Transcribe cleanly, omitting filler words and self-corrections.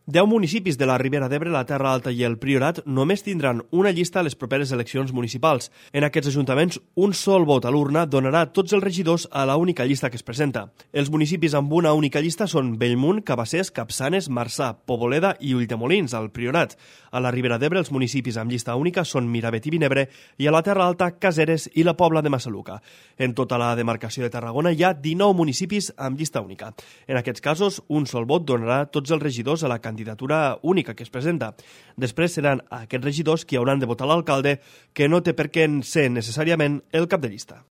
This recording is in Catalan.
10 municipis de la Ribera d'Ebre, la Terra Alta i el Priorat només tindran una llista a les properes eleccions municipals. En aquests ajuntaments, un sol vot a l'urna donarà tots els regidors a la única llista que es presenta. Els municipis amb una única llista són Bellmunt, Cabassers, Capçanes, Marçà, Poboleda i Ulldemolins, al Priorat. A la Ribera d'Ebre, els municipis amb llista única són Miravet i Vinebre, i a la Terra Alta, Caseres i la Pobla de Massaluca. En tota la demarcació de Tarragona hi ha 19 municipis amb llista única. En aquests casos, un sol vot donarà tots els regidors a la candidatura única que es presenta. Després seran aquests regidors qui hauran de votar l'alcalde, que no té per què ser necessàriament el cap de llista.